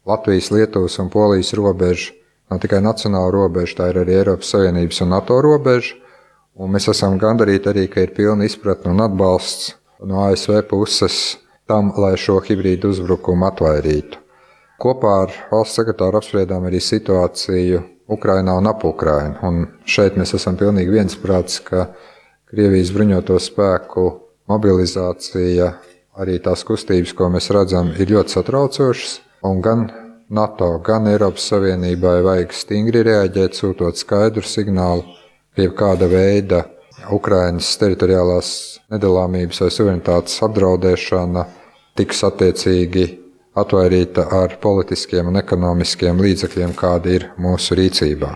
Latvijas, Lietuvas un Polijas robeža nav tikai nacionāla robeža, tā ir arī Eiropas Savienības un NATO robeža. Un mēs esam gandarīti arī, ka ir pilna izpratne un atbalsts no ASV puses tam, lai šo hibrīdu uzbrukumu atvairītu. Kopā ar valsts sekretāru apspriedām arī situāciju Ukrainā un ap Ukrainu. Un šeit mēs esam pilnīgi viensprāts, ka Krievijas bruņoto spēku mobilizācija, arī tās kustības, ko mēs redzam, ir ļoti satraucošas. Un gan NATO, gan Eiropas Savienībai vajag stingri reaģēt, sūtot skaidru signālu, ka jebkāda veida Ukrainas teritoriālās nedalāmības vai suverenitātes apdraudēšana tiks attiecīgi atvairīta ar politiskiem un ekonomiskiem līdzekļiem, kādi ir mūsu rīcībā.